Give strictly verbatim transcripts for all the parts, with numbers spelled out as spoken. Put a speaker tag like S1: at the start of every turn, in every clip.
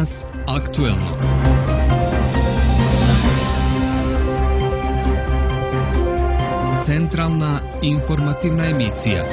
S1: Danas aktuelno. Centralna informativna emisija.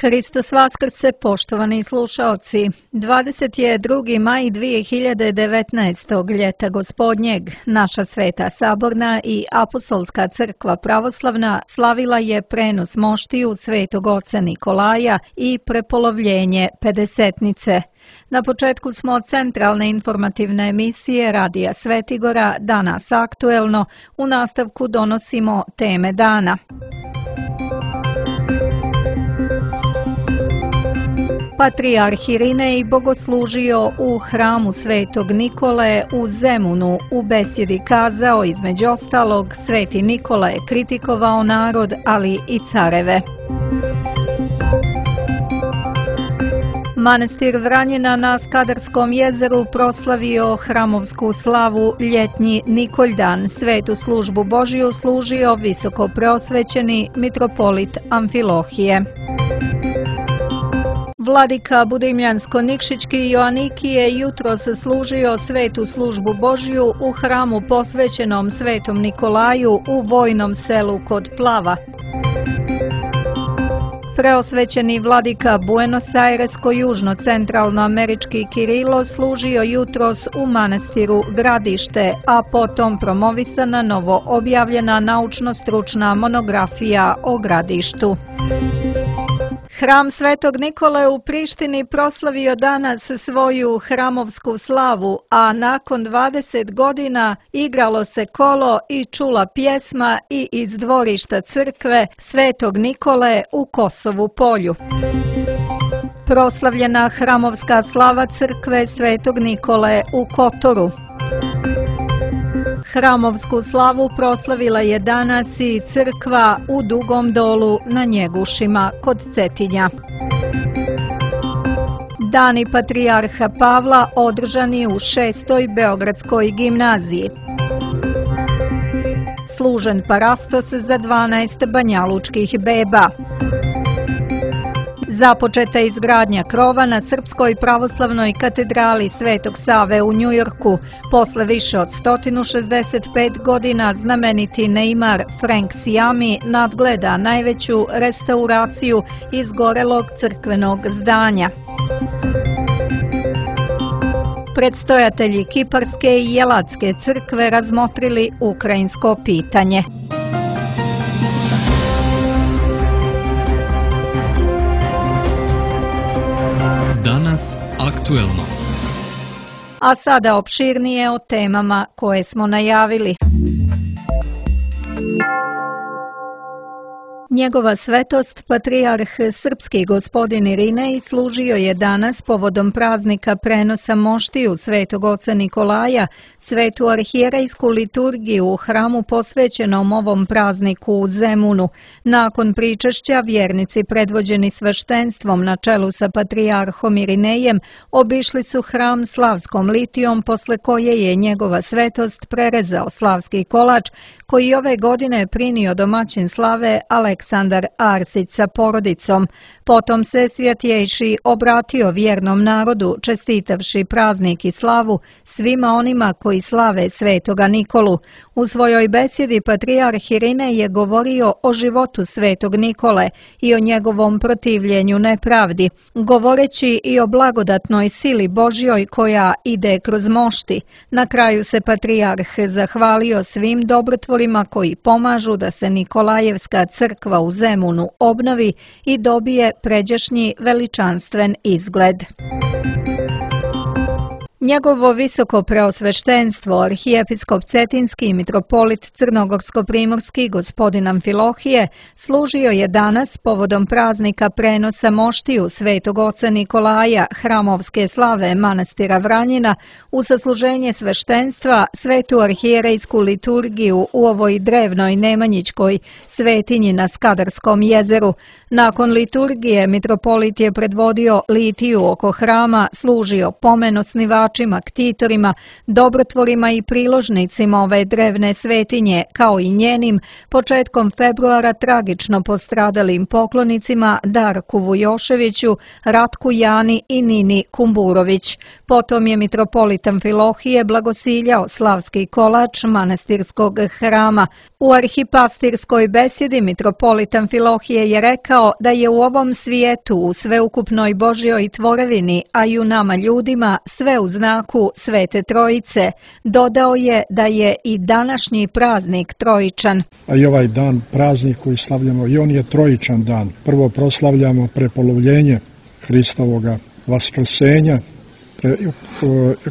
S2: Hristos Vaskrse, poštovani slušaoci. dvadeset drugi maj dvije hiljade devetnaestog. ljeta gospodnjeg, naša Sveta Saborna i Apostolska crkva pravoslavna slavila je prenos moštiju Svetog oca Nikolaja i prepolovljenje Pedesetnice. Na početku smo centralne informativne emisije Radija Svetigora, Danas aktuelno. U nastavku donosimo teme dana. Patrijarh Irinej bogoslužio u hramu Svetog Nikole u Zemunu. U besjedi kazao, između ostalog, Sveti Nikola je kritikovao narod, ali i careve. Manastir Vranjina na Skadarskom jezeru proslavio hramovsku slavu ljetnji Nikoljdan. Svetu službu Božiju služio visoko preosvećeni mitropolit Amfilohije. Vladika Budimljansko-Nikšićki Joanikije jutros služio svetu službu Božju u hramu posvećenom Svetom Nikolaju u vojnom selu kod Plava. Preosvećeni vladika Buenos Airesko-južno-centralnoamerički Kirilo služio jutros u manastiru Gradište, a potom promovisana novo objavljena naučno-stručna monografija o Gradištu. Hram Svetog Nikole u Prištini proslavio danas svoju hramovsku slavu, a nakon dvadeset godina igralo se kolo i čula pjesma i iz dvorišta crkve Svetog Nikole u Kosovu Polju. Proslavljena hramovska slava crkve Svetog Nikole u Kotoru. Hramovsku slavu proslavila je danas i crkva u Dugom Dolu na Njegušima kod Cetinja. Dani Patrijarha Pavla održani u šestoj Beogradskoj gimnaziji. Služen parastos za dvanaest banjalučkih beba. Započeta je izgradnja krova na Srpskoj pravoslavnoj katedrali Svetog Save u Njujorku. Posle više od sto šezdeset pet godina znameniti Neymar Frank Siami nadgleda najveću restauraciju izgorelog crkvenog zdanja. Predstojatelji Kiparske i Jelatske crkve razmotrili ukrajinsko pitanje.
S1: Danas aktuelno.
S2: A sada opširnije o temama koje smo najavili. Njegova svetost, patrijarh srpski gospodin Irinej, služio je danas povodom praznika prenosa moštiju Svetog oca Nikolaja svetu arhijerejsku liturgiju u hramu posvećenom ovom prazniku u Zemunu. Nakon pričešća vjernici predvođeni sveštenstvom na čelu sa patrijarhom Irinejem obišli su hram slavskom litijom, posle koje je njegova svetost prerezao slavski kolač koji ove godine prinio domaćin slave Aleksandar Arsić sa porodicom. Potom se svjetjejši obratio vjernom narodu, čestitavši praznik i slavu svima onima koji slave Svetoga Nikolu. U svojoj besjedi patrijarh Irinej je govorio o životu Svetog Nikole i o njegovom protivljenju nepravdi, govoreći i o blagodatnoj sili Božjoj koja ide kroz mošti. Na kraju se patrijarh zahvalio svim dobrotvorima koji pomažu da se Nikolajevska crkva u Zemunu obnovi i dobije pređašnji veličanstven izgled. Njegovo visoko preosveštenstvo, arhijepiskop Cetinski i mitropolit Crnogorsko-primorski gospodin Amfilohije, služio je danas povodom praznika prenosa moštiju Svetog oca Nikolaja, hramovske slave manastira Vranjina, u sasluženje sveštenstva svetu arhijerejsku liturgiju u ovoj drevnoj nemanjićkoj svetinji na Skadarskom jezeru. Nakon liturgije mitropolit je predvodio litiju oko hrama, služio pomen osnivača osnivačima, ktitorima, dobrotvorima i priložnicima ove drevne svetinje, kao i njenim, početkom februara tragično postradalim poklonicima Darku Vujoševiću, Ratku Jani i Nini Kumburović. Potom je mitropolit Amfilohije blagosiljao slavski kolač manastirskog hrama. U arhipastirskoj besjedi mitropolit Amfilohije je rekao da je u ovom svijetu, u sveukupnoj Božjoj tvorevini, a i u nama ljudima, sve u znaku Svete Trojice. Dodao je da je i današnji praznik trojičan.
S3: A i ovaj dan, praznik koji slavljamo, i on je trojičan dan. Prvo proslavljamo prepolovljenje Hristovoga vaskrsenja,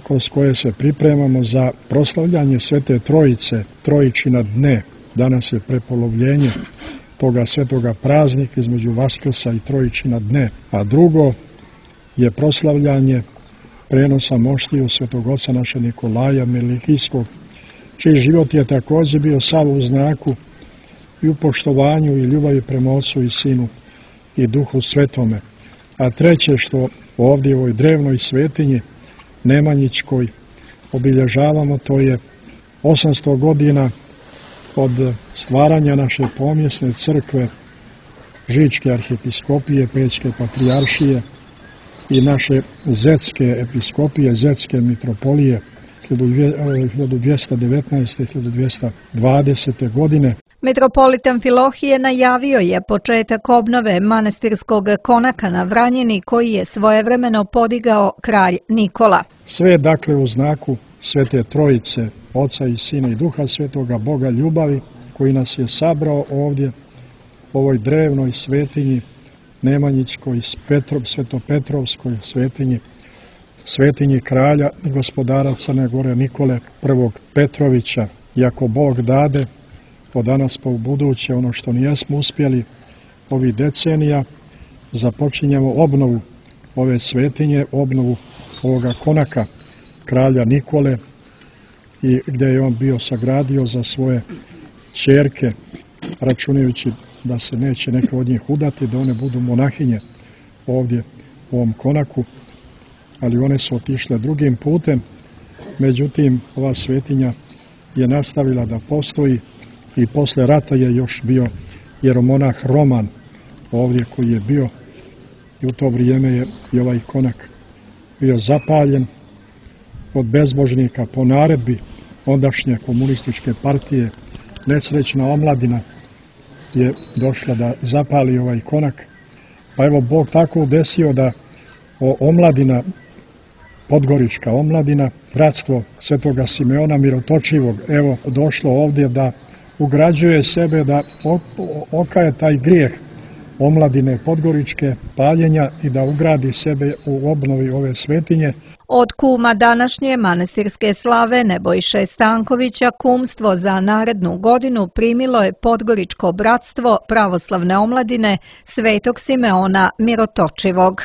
S3: kroz koje se pripremamo za proslavljanje Svete Trojice, trojičina dne. Danas je prepolovljenje toga svetoga praznika između Vaskrsa i trojičina dne. A drugo je proslavljanje prenosa moštiju svetog oca naše Nikolaja Melikijskog, čiji život je također bio sav u znaku i u poštovanju i ljubavi prema Ocu i Sinu i Duhu Svetome. A treće što ovdje u ovoj drevnoj svetinji Nemanjićkoj obilježavamo, to je osamsto godina od stvaranja naše pomjesne crkve, Žičke arhijepiskopije, Pećke patrijaršije i naše Zetske episkopije, Zetske mitropolije hiljadu dvjesto devetnaeste. hiljadu dvjesto dvadesete. godine.
S2: Mitropolit Amfilohije najavio je početak obnove manastirskog konaka na Vranjini koji je svojevremeno podigao kralj Nikola.
S3: Sve dakle u znaku Svete Trojice, Oca i Sina i Duha Svetoga, Boga ljubavi, koji nas je sabrao ovdje u ovoj drevnoj svetinji Nemanjićkoj, Petrov, Svetopetrovskoj svetinji, svetinji kralja i gospodara Crne Gore Nikole prvog Petrovića. I ako Bog dade, od danas pa u buduće, ono što nijesmo uspjeli ovih decenija, započinjemo obnovu ove svetinje, obnovu ovoga konaka kralja Nikole, i gdje je on bio sagradio za svoje ćerke, računajući da se neće neke od njih udati, da one budu monahinje ovdje u ovom konaku, ali one su otišle drugim putem. Međutim, ova svetinja je nastavila da postoji i posle rata je još bio jeromonah Roman ovdje koji je bio, i u to vrijeme je i ovaj konak bio zapaljen od bezbožnika po naredbi ondašnje komunističke partije. Nesrećna omladina je došla da zapali ovaj konak, pa evo Bog tako desio da omladina, podgorička omladina, bratstvo Svetoga Simeona Mirotočivog, evo došlo ovdje da ugrađuje sebe, da okaje taj grijeh omladine podgoričke, paljenja, i da ugradi sebe u obnovi ove svetinje.
S2: Od kuma današnje manastirske slave Nebojše Stankovića kumstvo za narednu godinu primilo je Podgoričko bratstvo pravoslavne omladine Svetog Simeona Mirotočivog.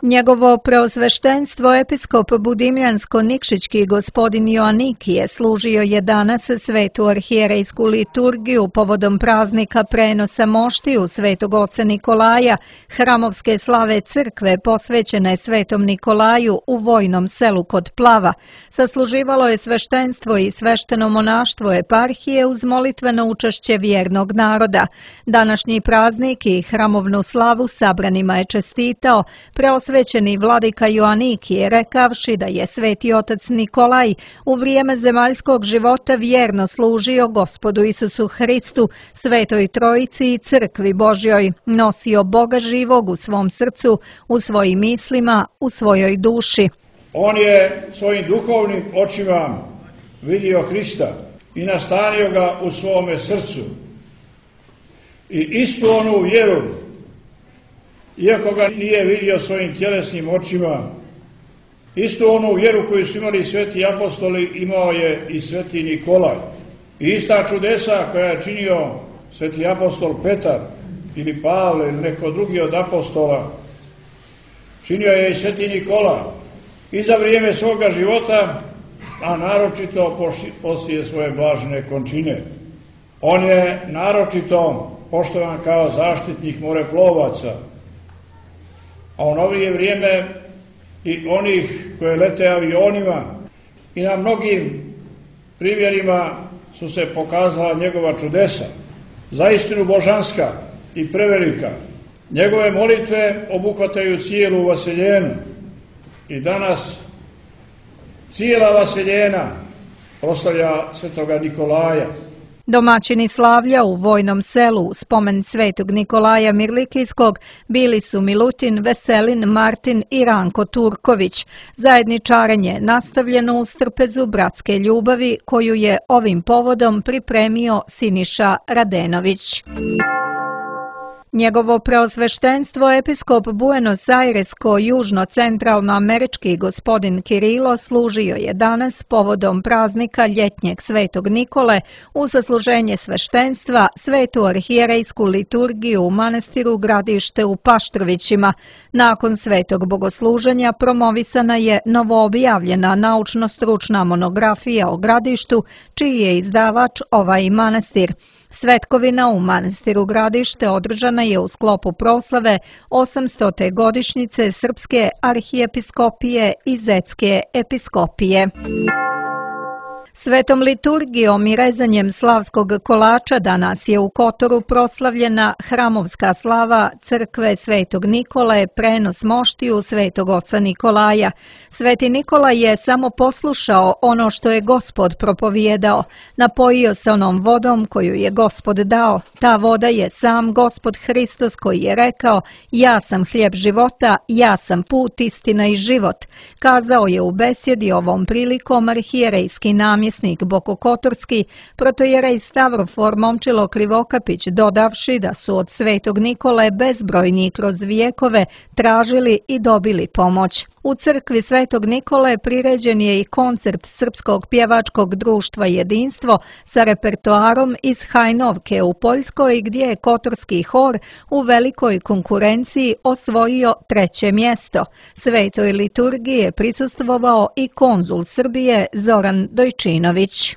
S2: Njegovo preosveštenstvo episkop Budimljansko-Nikšićki gospodin Joanikije služio je danas svetu arhijerejsku liturgiju povodom praznika prenosa moštiju Svetog oca Nikolaja, hramovske slave crkve posvećene Svetom Nikolaju u vojnom selu kod Plava. Sasluživalo je sveštenstvo i svešteno monaštvo eparhije uz molitveno učešće vjernog naroda. Današnji praznik i hramovnu slavu sabranima je čestitao preosvećenstvo Svećeni vladika Joanikije, rekavši da je sveti otac Nikolaj u vrijeme zemaljskog života vjerno služio Gospodu Isusu Hristu, Svetoj Trojici i Crkvi Božjoj, nosio Boga živog u svom srcu, u svojim mislima, u svojoj duši.
S4: On je svojim duhovnim očima vidio Hrista i nastanio ga u svome srcu. I istu onu vjeru, iako ga nije vidio svojim tjelesnim očima, istu onu vjeru koju su imali sveti apostoli imao je i sveti Nikolaj. I ista čudesa koja je činio sveti apostol Petar ili Pavle ili neko drugi od apostola, činio je i sveti Nikolaj i za vrijeme svoga života, a naročito poslije svoje blažene končine. On je naročito poštovan kao zaštitnik moreplovaca, a u novije vrijeme i onih koje lete avionima i na mnogim primjerima su se pokazala njegova čudesa, zaistinu božanska i prevelika. Njegove molitve obuhvataju cijelu vaseljenu i danas cijela vaseljena proslavlja svetoga Nikolaja.
S2: Domaćini slavlja u Vojnom selu u spomen svetog Nikolaja Mirlikijskog bili su Milutin, Veselin, Martin i Ranko Turković. Zajedničarenje nastavljeno uz trpezu bratske ljubavi koju je ovim povodom pripremio Siniša Radenović. Njegovo preosveštenstvo episkop Buenos Airesko-južno-centralnoamerički gospodin Kirilo služio je danas povodom praznika ljetnjeg svetog Nikole u zasluženje sveštenstva svetu arhijerejsku liturgiju u manastiru Gradište u Paštrovićima. Nakon svetog bogosluženja promovisana je novoobjavljena naučno-stručna monografija o Gradištu, čiji je izdavač ovaj manastir. Svetkovina u manastiru Gradište održana je u sklopu proslave osamstote godišnjice Srpske arhijepiskopije i Zetske episkopije. Svetom liturgijom i rezanjem slavskog kolača danas je u Kotoru proslavljena hramovska slava crkve Svetog Nikole, prenos moštiju Svetog oca Nikolaja. Sveti Nikola je samo poslušao ono što je Gospod propovijedao, napojio se onom vodom koju je Gospod dao. Ta voda je sam Gospod Hristos koji je rekao: "Ja sam hljeb života, ja sam put, istina i život", kazao je u besjedi ovom prilikom arhijerejski namjesnik Bokokotorski, protojerej Stavrofor Momčilo Krivokapić, dodavši da su od Svetog Nikole bezbrojni kroz vijekove tražili i dobili pomoć. U crkvi Svetog Nikole priređen je i koncert Srpskog pjevačkog društva Jedinstvo sa repertoarom iz Hajnovke u Poljskoj, gdje je Kotorski hor u velikoj konkurenciji osvojio treće mjesto. Svetoj liturgiji je prisustvovao i konzul Srbije Zoran Dojčinović.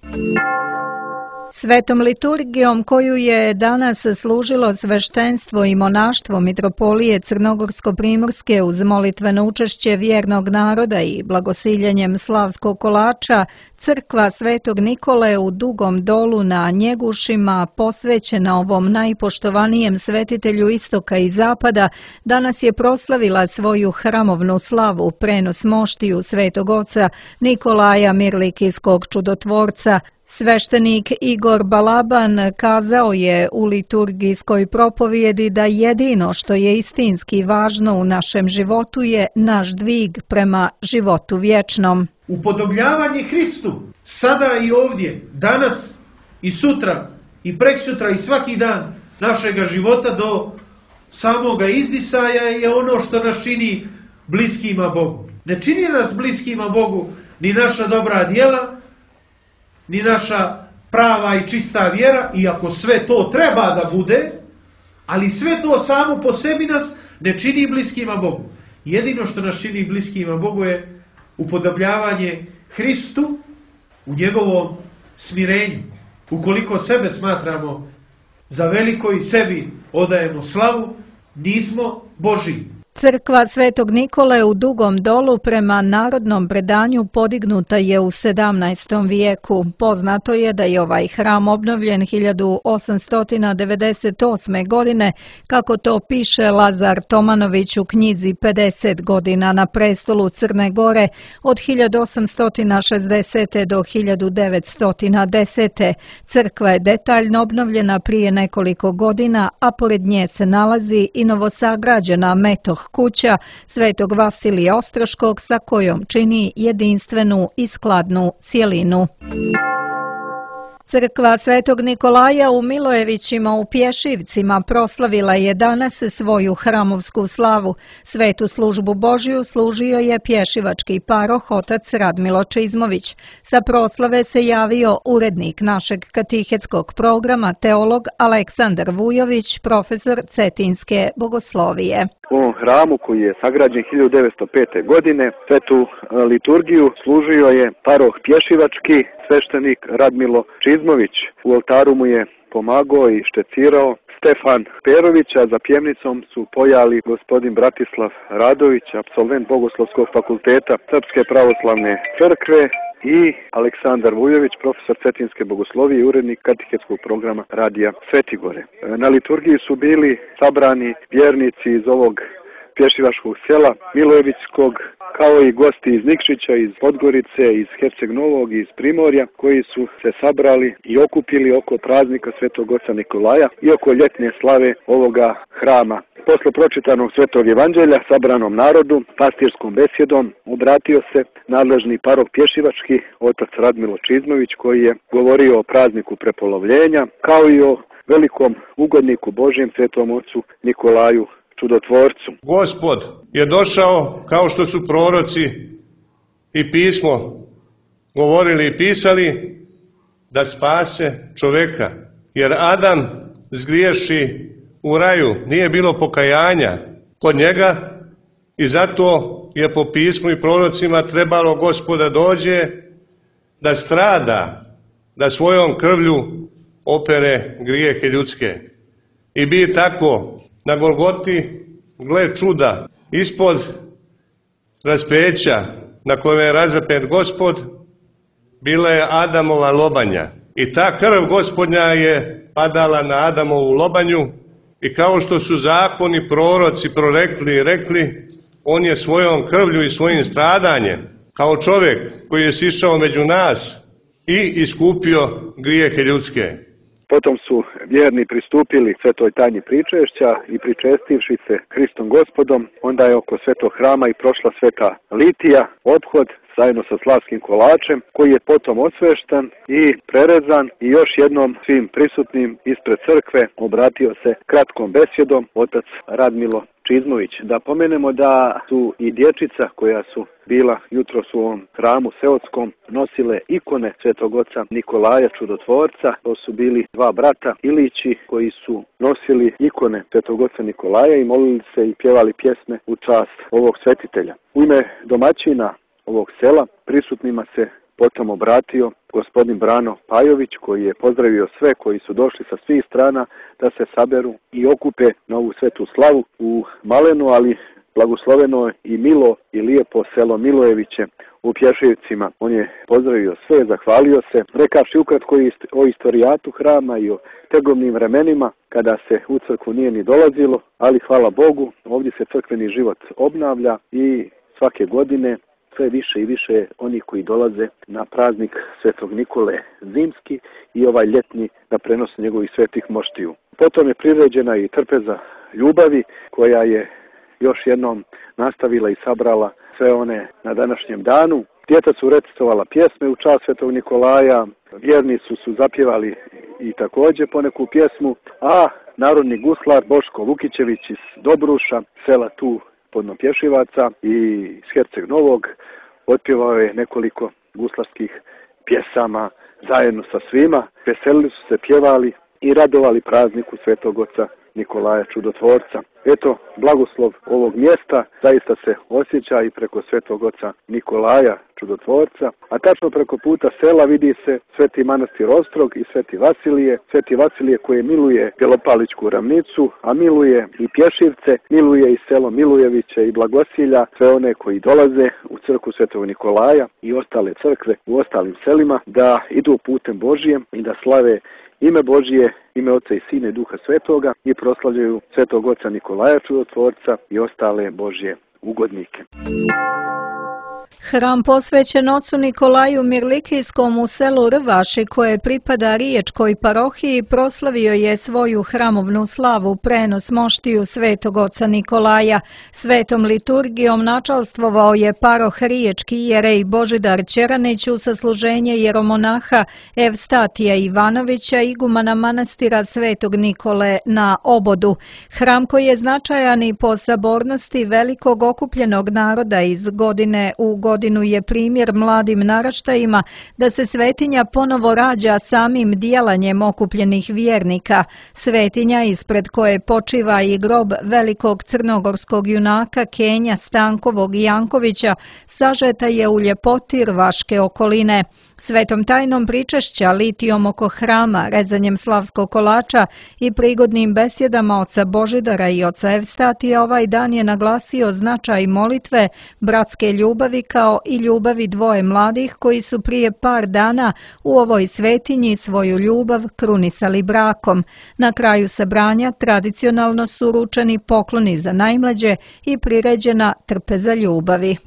S2: Svetom liturgijom koju je danas služilo sveštenstvo i monaštvo Mitropolije Crnogorsko-Primorske uz molitveno učešće vjernog naroda i blagosiljenjem slavskog kolača, crkva Svetog Nikole u Dugom Dolu na Njegušima, posvećena ovom najpoštovanijem svetitelju istoka i zapada, danas je proslavila svoju hramovnu slavu, prenos moštiju Svetog oca Nikolaja Mirlikijskog čudotvorca. Sveštenik Igor Balaban kazao je u liturgijskoj propovjedi da jedino što je istinski važno u našem životu je naš dvig prema životu vječnom.
S5: Upodobljavanje Hristu, sada i ovdje, danas i sutra i preksutra i svaki dan našega života do samoga izdisaja je ono što nas čini bliskima Bogu. Ne čini nas bliskima Bogu ni naša dobra djela, ni naša prava i čista vjera, iako sve to treba da bude, ali sve to samo po sebi nas ne čini bliskima Bogu. Jedino što nas čini bliskima Bogu je upodobljavanje Hristu u njegovom smirenju. Ukoliko sebe smatramo za veliko i sebi odajemo slavu, nismo Božji.
S2: Crkva Svetog Nikole u Dugom Dolu prema narodnom predanju podignuta je u sedamnaestom vijeku. Poznato je da je ovaj hram obnovljen hiljadu osamsto devedeset osme. godine, kako to piše Lazar Tomanović u knjizi pedeset godina na prestolu Crne Gore od hiljadu osamsto šezdesete. do hiljadu devetsto desete. Crkva je detaljno obnovljena prije nekoliko godina, a pored nje se nalazi i novosagrađena metoh kuća Svetog Vasilija Ostroškog sa kojom čini jedinstvenu i skladnu cjelinu. Crkva Svetog Nikolaja u Milojevićima u Pješivcima proslavila je danas svoju hramovsku slavu. Svetu službu Božju služio je pješivački paroh otac Radmilo Čizmović. Sa proslave se javio urednik našeg katehetskog programa, teolog Aleksandar Vujović, profesor Cetinske bogoslovije.
S6: U ovom hramu koji je sagrađen hiljadu devetsto pete. godine svetu liturgiju služio je paroh pješivački, sveštenik Radmilo Čizmović. U oltaru mu je pomagao i štecirao Stefan Perović, a za pjevnicom su pojali gospodin Bratislav Radović, apsolvent Bogoslovskog fakulteta Srpske pravoslavne crkve, i Aleksandar Vujović, profesor cetinske bogoslovije i urednik katehetskog programa Radija Svetigore. Na liturgiji su bili sabrani vjernici iz ovog pješivačkog sela Milojevićskog, kao i gosti iz Nikšića, iz Podgorice, iz Herceg Novog, iz Primorja, koji su se sabrali i okupili oko praznika Svetog Oca Nikolaja i oko ljetne slave ovoga hrama. Posle pročitanog Svetog Evanđelja sabranom narodu, pastirskom besjedom, obratio se nadležni parok pješivački, otac Radmilo Čizmović, koji je govorio o prazniku prepolovljenja, kao i o velikom ugodniku Božjem Svetom Ocu Nikolaju Čudotvorcu.
S7: Gospod je došao, kao što su proroci i pismo govorili i pisali, da spase čoveka. Jer Adam zgriješi u raju, nije bilo pokajanja kod njega i zato je po pismu i prorocima trebalo Gospoda dođe da strada, da svojom krvlju opere grijehe ljudske. I bi tako na Golgoti, gle čuda, ispod raspeća na kojem je razapet Gospod, bila je Adamova lobanja. I ta krv Gospodnja je padala na Adamovu lobanju i kao što su zakoni proroci prorekli i rekli, on je svojom krvlju i svojim stradanjem, kao čovjek koji je sišao među nas i iskupio grijehe ljudske.
S6: Potom su vjerni pristupili svetoj tajni pričešća i pričestivši se Hristom Gospodom, onda je oko svetog hrama i prošla sveta litija, ophod zajedno sa slavskim kolačem, koji je potom osveštan i prerezan i još jednom svim prisutnim ispred crkve obratio se kratkom besjedom otac Radmilo Čizmović. Da pomenemo da su i dječica koja su bila jutros u ovom hramu seoskom nosile ikone Svetog Oca Nikolaja Čudotvorca. To su bili dva brata Ilići koji su nosili ikone Svetog Oca Nikolaja i molili se i pjevali pjesme u čast ovog svetitelja. U ime domaćina ovog sela prisutnima se potom obratio gospodin Brano Pajović, koji je pozdravio sve koji su došli sa svih strana da se saberu i okupe na ovu svetu slavu u maleno, ali blagosloveno i milo i lijepo selo Milojeviće u Pješevcima. On je pozdravio sve, zahvalio se, rekavši ukratko o istorijatu hrama i o tegovnim vremenima kada se u crkvu nije ni dolazilo, ali hvala Bogu, ovdje se crkveni život obnavlja i svake godine sve više i više onih koji dolaze na praznik Svetog Nikole zimski i ovaj ljetni na prenos njegovih svetih moštiju. Potom je priređena i trpeza ljubavi koja je još jednom nastavila i sabrala sve one na današnjem danu. Djeca su recitovala pjesme u čast Svetog Nikolaja, vjernici su zapjevali i također poneku pjesmu, a narodni guslar Boško Vukićević iz Dobruša, sela tu Podnopješivaca i iz Herceg Novog, otpjevao je nekoliko guslarskih pjesama zajedno sa svima. Veselili su se, pjevali i radovali prazniku Svetog Oca Nikolaja Čudotvorca. Eto, blagoslov ovog mjesta zaista se osjeća i preko Svetog Oca Nikolaja Čudotvorca, a tačno preko puta sela vidi se Sveti manastir Ostrog i Sveti Vasilije, Sveti Vasilije koje miluje Belopalićku ravnicu, a miluje i Pješivce, miluje i selo Milojeviće i Blagosilja, sve one koji dolaze u crkvu Svetog Nikolaja i ostale crkve u ostalim selima da idu putem Božijem i da slave ime Božije, ime Oca i Sina i Duha Svetoga i proslavljaju Svetog Oca Nikolaja Čudotvorca i ostale Božje ugodnike.
S2: Hram posvećen ocu Nikolaju Mirlikijskom u selu Rvaši, koje pripada Riječkoj parohiji, proslavio je svoju hramovnu slavu prenos moštiju Svetog Oca Nikolaja. Svetom liturgijom načalstvovao je paroh Riječki jerej Božidar Ćeranić u sasluženje jeromonaha Evstatija Ivanovića, igumana manastira Svetog Nikole na Obodu. Hram koji je značajan i po sabornosti velikog okupljenog naroda iz godine u godinu godinu je primjer mladim naraštajima da se svetinja ponovo rađa samim dijelanjem okupljenih vjernika. Svetinja ispred koje počiva i grob velikog crnogorskog junaka Kenja Stankovog Jankovića sažeta je u ljepoti rvaške okoline. Svetom tajnom pričešća, litijom oko hrama, rezanjem slavskog kolača i prigodnim besjedama oca Božidara i oca Evstatija ovaj dan je naglasio značaj molitve, bratske ljubavi kao i ljubavi dvoje mladih koji su prije par dana u ovoj svetinji svoju ljubav krunisali brakom. Na kraju sabranja tradicionalno su uručeni pokloni za najmlađe i priređena trpeza ljubavi.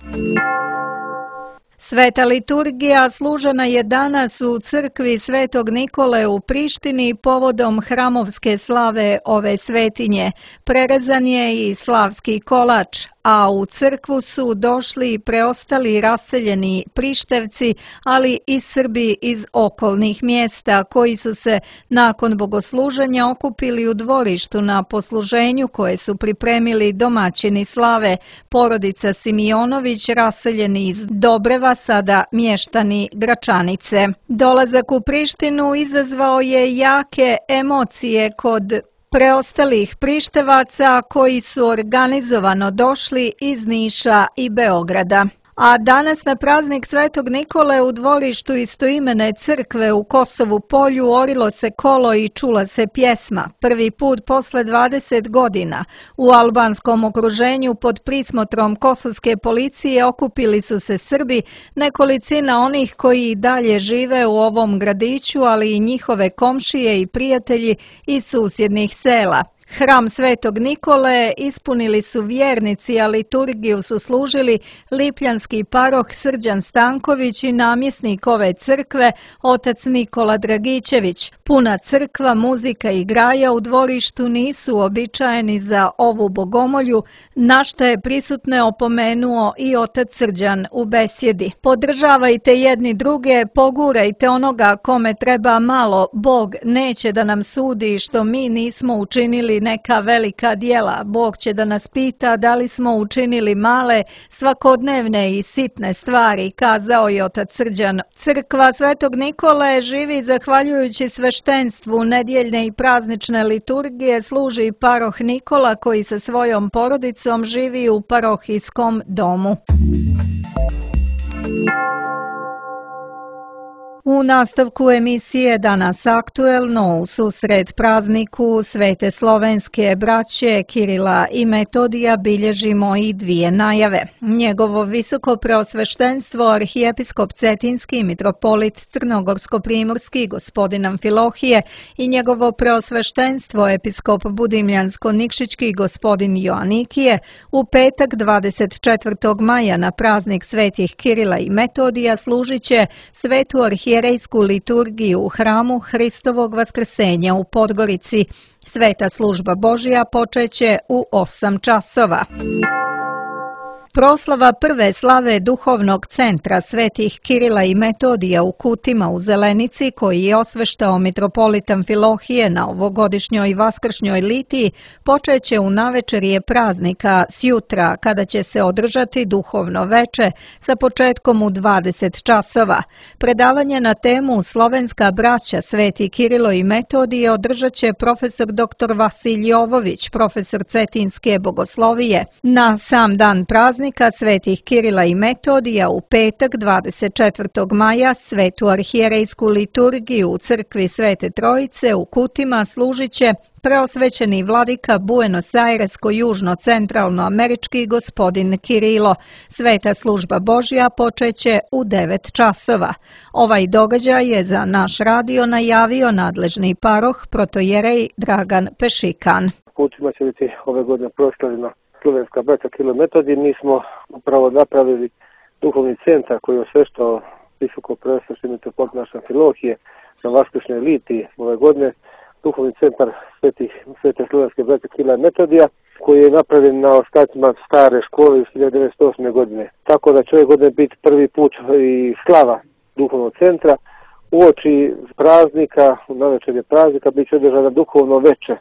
S2: Sveta liturgija služena je danas u crkvi Svetog Nikole u Prištini povodom hramovske slave ove svetinje. Prerezan je i slavski kolač, a u crkvu su došli preostali raseljeni Prištevci, ali i Srbi iz okolnih mjesta koji su se nakon bogosluženja okupili u dvorištu na posluženju koje su pripremili domaćini slave, porodica Simionović raseljeni iz Dobreva, sada mještani Gračanice. Dolazak u Prištinu izazvao je jake emocije kod preostalih Prištevaca koji su organizovano došli iz Niša i Beograda. A danas na praznik Svetog Nikole u dvorištu istoimene crkve u Kosovu Polju orilo se kolo i čula se pjesma. Prvi put posle dvadeset godina u albanskom okruženju pod prismotrom kosovske policije okupili su se Srbi, nekolicina onih koji i dalje žive u ovom gradiću, ali i njihove komšije i prijatelji iz susjednih sela. Hram Svetog Nikole ispunili su vjernici, a liturgiju su služili lipljanski paroh Srđan Stanković i namjesnik ove crkve, otac Nikola Dragićević. Puna crkva, muzika i graja u dvorištu nisu uobičajeni za ovu bogomolju, na što je prisutne opomenuo i otac Srđan u besjedi. Podržavajte jedni druge, pogurajte onoga kome treba malo, Bog neće da nam sudi što mi nismo učinili neka velika djela. Bog će da nas pita da li smo učinili male, svakodnevne i sitne stvari, kazao je otac Srđan. Crkva Svetog Nikole živi zahvaljujući sveštenstvu nedjeljne i praznične liturgije, služi paroh Nikola koji sa svojom porodicom živi u parohijskom domu. U nastavku emisije Danas aktuelno u susret prazniku Svete slovenske braće Kirila i Metodija bilježimo i dvije najave. Njegovo visoko preosveštenstvo arhijepiskop Cetinski mitropolit Crnogorsko-primorski gospodin Amfilohije i njegovo preosveštenstvo episkop Budimljansko-Nikšićki gospodin Joanikije u petak dvadeset četvrtog maja na praznik svetih Kirila i Metodija služit će svetu arhijepiskop arhijerejsku liturgiju u hramu Hristovog vaskrsenja u Podgorici. Sveta služba Božja počeće u osam časova. Proslava prve slave duhovnog centra svetih Kirila i Metodija u Kutima u Zelenici, koji je osveštao mitropolit Amfilohije na ovogodišnjoj vaskršnjoj litiji, počeće u navečerje praznika sjutra, kada će se održati duhovno veče sa početkom u dvadeset časova. Predavanje na temu Slovenska braća Sveti Kirilo i Metodije održat će profesor doktor Vasilij Jovović, profesor Cetinske bogoslovije. Na sam dan praznika svetih Kirila i Metodija u petak dvadeset četvrtog maja svetu arhijerejsku liturgiju u crkvi Svete Trojice u Kutima služit će preosvećeni vladika Buenos Airesko-južno-centralno-američki gospodin Kirilo. Sveta služba Božja počeće u devet časova. Ovaj događaj je za naš radio najavio nadležni paroh protojerej Dragan Pešikan.
S8: Kutima će biti ove godine proslavljena Slovenska braća Kirilo i Metodij. Mi smo upravo napravili duhovni centar koji je osveštao visoko preosvešteni mitropolit naše Amfilohije na vaskršnjoj litiji ove godine. Duhovni centar svetih, svete slovenske braće Kirila i Metodija koji je napravljen na ostacima stare škole iz hiljadu devetsto osme. godine. Tako da će ove godine biti prvi put i slava duhovnog centra. Uoči praznika, u navečerje praznika, bit će održana duhovno veče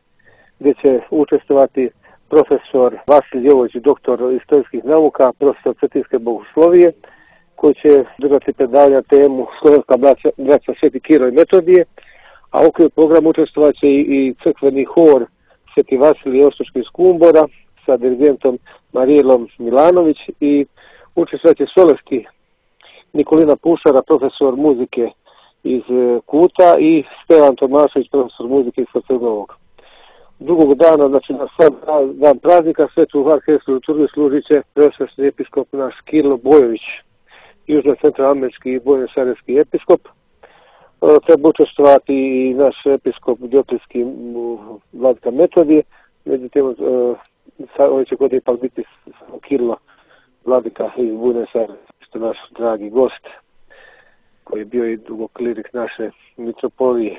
S8: gdje će učestvovati profesor Vasilij Jovović, doktor istorijskih nauka, profesor Cetinske bogoslovije koji će držati predavanja temu Slovenska braća, braća Sveti Kiro i Metodije, a u okviru programa učestvovat će i, i crkveni hor Sveti Vasilij Ostočki iz Kumbora sa dirigentom Marijelom Milanović i učestvovat će solovski Nikolina Pušara, profesor muzike iz Kuta i Stevan Tomašević, profesor muzike iz Crnovog. Drugog dana, znači na sam dan praznika, svetu arhivsku liturgiju služit će preosvešni episkop naš Kirilo Bojović, južno-centroamerički i buenosajreski episkop. Treba učestvovati i naš episkop Dioklijski vladika Metodije, međutim, ove će godine ipak biti Kirilo vladika iz Buenos Aires, što je naš dragi gost, koji je bio i dugo klirik naše mitropolije.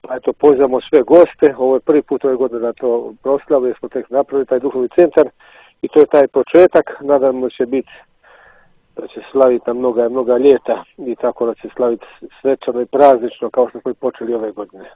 S8: Pa eto, pozivamo sve goste, ovo je prvi put ove godine da to proslave, jer smo tek napravili taj duhovni centar i to je taj početak, nadamo će biti da će slaviti na mnoga, mnoga ljeta i tako da će slaviti svečano i praznično kao što smo i počeli ove godine.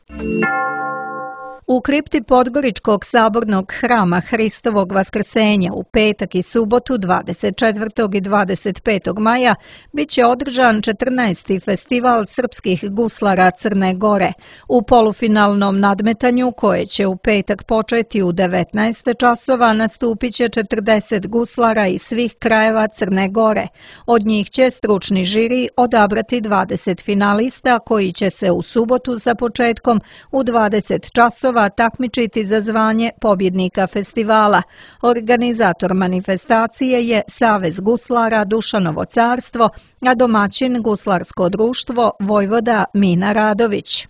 S2: U kripti Podgoričkog sabornog hrama Hristovog vaskrsenja u petak i subotu dvadeset četvrtog i dvadeset petog maja bit će održan četrnaesti festival srpskih guslara Crne Gore. U polufinalnom nadmetanju, koje će u petak početi u devetnaest časova, nastupit će četrdeset guslara iz svih krajeva Crne Gore. Od njih će stručni žiri odabrati dvadeset finalista koji će se u subotu sa početkom u dvadeset časova takmičiti za zvanje pobjednika festivala. Organizator manifestacije je Savez guslara Dušanovo carstvo, a domaćin guslarsko društvo Vojvoda Mina Radović.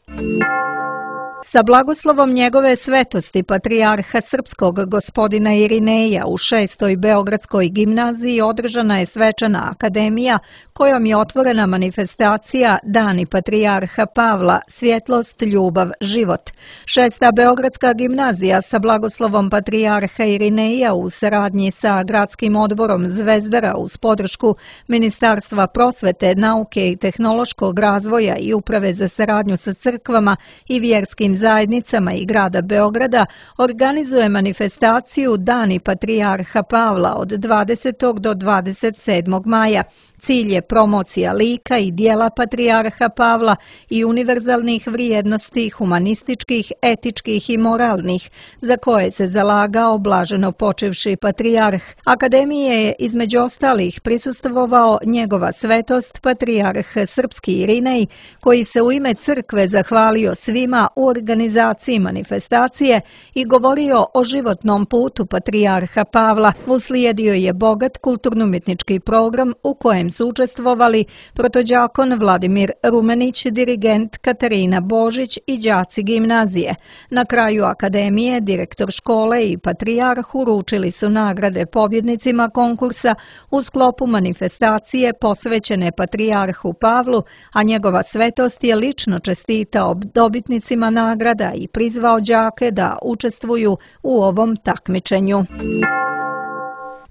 S2: Sa blagoslovom njegove svetosti patrijarha srpskog gospodina Irineja u šestoj Beogradskoj gimnaziji održana je svečana akademija kojom je otvorena manifestacija Dani patrijarha Pavla, svjetlost, ljubav, život. Šesta Beogradska gimnazija sa blagoslovom patrijarha Irineja u saradnji sa gradskim odborom Zvezdara uz podršku Ministarstva prosvete, nauke i tehnološkog razvoja i Uprave za saradnju sa crkvama i vjerskim zajednicama i grada Beograda organizuje manifestaciju Dani patrijarha Pavla od dvadesetog do dvadeset sedmog maja. Cilj je promocija lika i dijela patrijarha Pavla i univerzalnih vrijednosti humanističkih, etičkih i moralnih, za koje se zalagao blaženo počivši patrijarh. Akademije je između ostalih prisustvovao njegova svetost patrijarh srpski Irinej, koji se u ime crkve zahvalio svima u organizaciji manifestacije i govorio o životnom putu patrijarha Pavla. Uslijedio je bogat kulturno-umjetnički program u kojem su učestvovali protođakon Vladimir Rumenić, dirigent Katarina Božić i đaci gimnazije. Na kraju akademije direktor škole i patrijarh uručili su nagrade pobjednicima konkursa u sklopu manifestacije posvećene patrijarhu Pavlu, a njegova svetost je lično čestitao dobitnicima nagrada i prizvao đake da učestvuju u ovom takmičenju.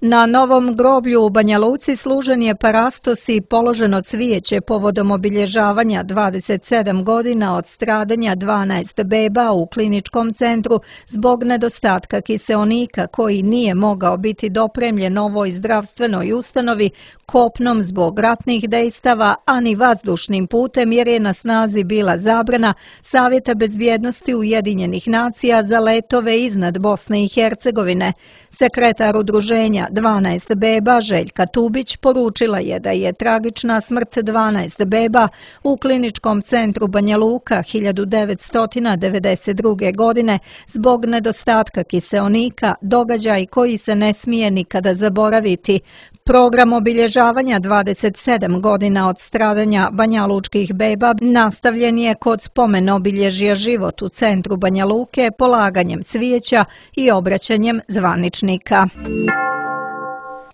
S2: Na novom groblju u Banja Luci služen je parastos i položeno cvijeće povodom obilježavanja dvadeset sedam godina od stradanja dvanaest beba u kliničkom centru zbog nedostatka kiseonika koji nije mogao biti dopremljen ovoj zdravstvenoj ustanovi kopnom zbog ratnih dejstava, a ni vazdušnim putem jer je na snazi bila zabrana Savjeta bezbjednosti Ujedinjenih nacija za letove iznad Bosne i Hercegovine. Sekretar udruženja dvanaest beba Željka Tubić poručila je da je tragična smrt dvanaest beba u kliničkom centru Banja Luka hiljadu devetsto devedeset druge. godine zbog nedostatka kiseonika događaj koji se ne smije nikada zaboraviti. Program obilježavanja dvadeset sedam godina od stradanja banjalučkih beba nastavljen je kod spomen obilježja Život u centru Banja Luke polaganjem cvijeća i obraćanjem zvaničnika.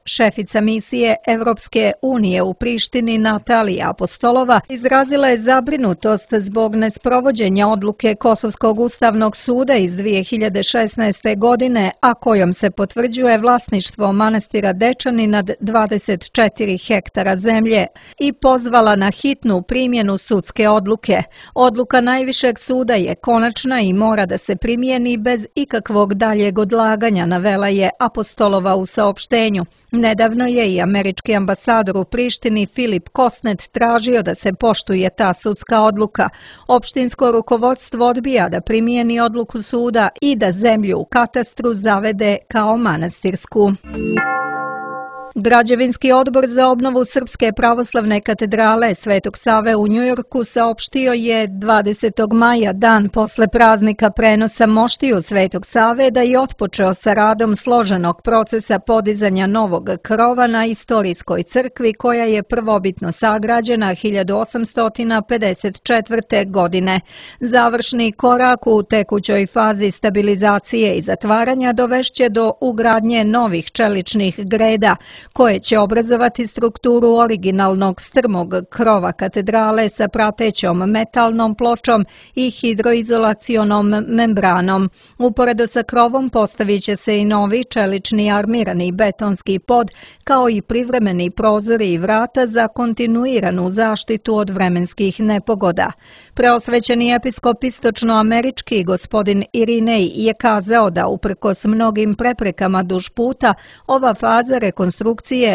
S2: Šefica misije Evropske unije u Prištini Natalija Apostolova izrazila je zabrinutost zbog nesprovođenja odluke Kosovskog ustavnog suda iz dvije hiljade šesnaeste. godine, a kojom se potvrđuje vlasništvo manastira Dečani nad dvadeset četiri hektara zemlje i pozvala na hitnu primjenu sudske odluke. Odluka najvišeg suda je konačna i mora da se primijeni bez ikakvog daljeg odlaganja, navela je Apostolova u saopštenju. Nedavno je i američki ambasador u Prištini Filip Kosnet tražio da se poštuje ta sudska odluka. Opštinsko rukovodstvo odbija da primijeni odluku suda i da zemlju u katastru zavede kao manastirsku. Građevinski odbor za obnovu Srpske pravoslavne katedrale Svetog Save u Njujorku saopštio je dvadesetog maja, dan posle praznika prenosa moštiju Svetog Save, da je otpočeo sa radom složenog procesa podizanja novog krova na istorijskoj crkvi koja je prvobitno sagrađena hiljadu osamsto pedeset četvrte. godine. Završni korak u tekućoj fazi stabilizacije i zatvaranja dovešće do ugradnje novih čeličnih greda, koje će obrazovati strukturu originalnog strmog krova katedrale sa pratećom metalnom pločom i hidroizolacionom membranom. Uporedo sa krovom postavit će se i novi čelični armirani betonski pod, kao i privremeni prozori i vrata za kontinuiranu zaštitu od vremenskih nepogoda. Preosvećeni episkop istočnoamerički gospodin Irinej je kazao da uprkos mnogim preprekama duž puta, ova faza rekonstrukcije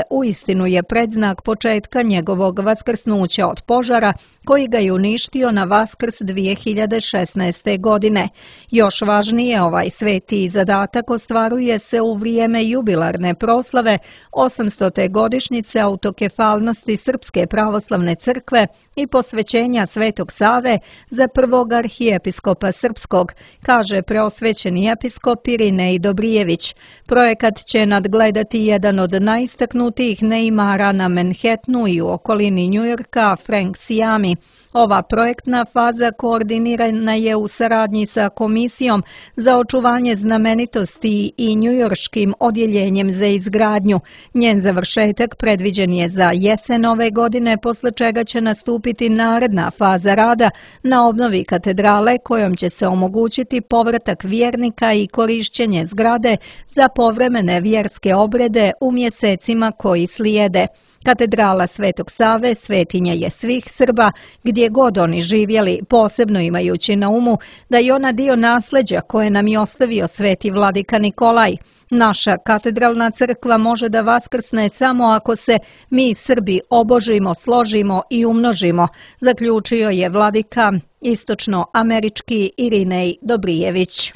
S2: uistinu je predznak početka njegovog vaskrsnuća od požara koji ga je uništio na Vaskrs dvije hiljade šesnaeste. godine. Još važnije, ovaj sveti zadatak ostvaruje se u vrijeme jubilarne proslave osamstote godišnjice autokefalnosti Srpske pravoslavne crkve i posvećenja Svetog Save za prvog arhijepiskopa srpskog, kaže preosvećeni episkop Irinej Dobrijević. Projekat će nadgledati jedan od najistaknutijih neimara na Manhattanu i u okolini Njujorka, Frank Siami. Ova projektna faza koordinirana je u saradnji sa Komisijom za očuvanje znamenitosti i njujorškim odjeljenjem za izgradnju. Njen završetak predviđen je za jesen ove godine, posle čega će nastupiti naredna faza rada na obnovi katedrale kojom će se omogućiti povratak vjernika i korišćenje zgrade za povremene vjerske obrede u mjesecima koji slijede. Katedrala Svetog Save svetinja je svih Srba, gdje god oni živjeli, posebno imajući na umu da je ona dio nasleđa koje nam je ostavio sveti vladika Nikolaj. Naša katedralna crkva može da vaskrsne samo ako se mi Srbi obožimo, složimo i umnožimo, zaključio je vladika istočnoamerički Irinej Dobrijević.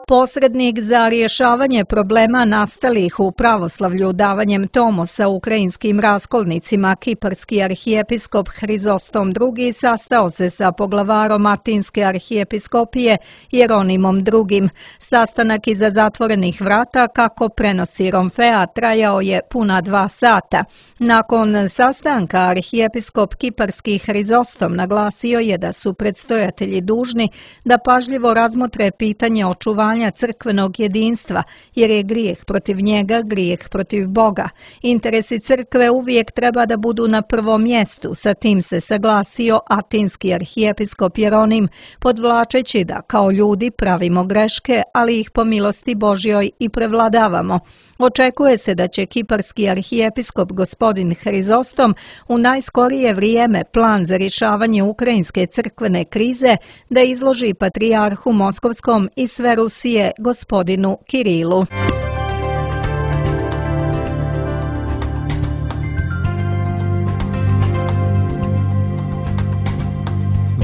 S2: Posrednik za rješavanje problema nastalih u pravoslavlju davanjem tomosa ukrajinskim raskolnicima, kiparski arhijepiskop Hrizostom drugi sastao se sa poglavarom Atinske arhijepiskopije Jeronimom drugim. Sastanak iza zatvorenih vrata, kako prenosi Romfea, trajao je puna dva sata. Nakon sastanka arhijepiskop kiparski Hrizostom naglasio je da su predstojatelji dužni da pažljivo razmotre pitanje očuvanja crkvenog jedinstva, jer je grijeh protiv njega grijeh protiv Boga. Interesi crkve uvijek treba da budu na prvom mjestu, sa tim se saglasio atinski arhijepiskop Jeronim, podvlačeći da kao ljudi pravimo greške, ali ih po milosti Božjoj i prevladavamo. Očekuje se da će kiparski arhijepiskop gospodin Hrizostom u najskorije vrijeme plan za rješavanje ukrajinske crkvene krize da izloži patrijarhu Moskovskom i sve Rusije gospodinu Kirilu.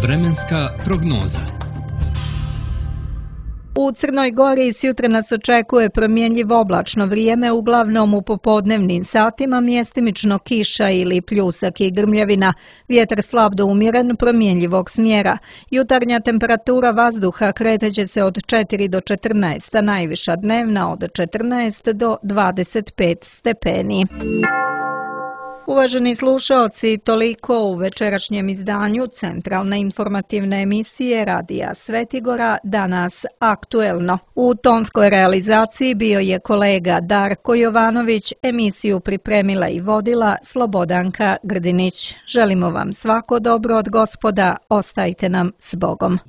S1: Vremenska prognoza.
S2: U Crnoj Gori sjutra nas očekuje promjenjivo oblačno vrijeme, uglavnom u popodnevnim satima mjestimično kiša ili pljusak i grmljavina. Vjetar slab do umjeren, promjenjivog smjera. Jutarnja temperatura vazduha kreće se od četiri do četrnaest, a najviša dnevna od četrnaest do dvadeset pet stepeni. Uvaženi slušaoci, toliko u večerašnjem izdanju centralne informativne emisije Radija Svetigora, danas aktuelno. U tonskoj realizaciji bio je kolega Darko Jovanović, emisiju pripremila i vodila Slobodanka Grdinić. Želimo vam svako dobro od Gospoda, ostajte nam s Bogom.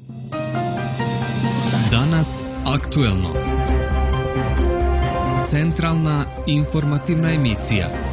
S1: Danas aktuelno. Centralna informativna emisija.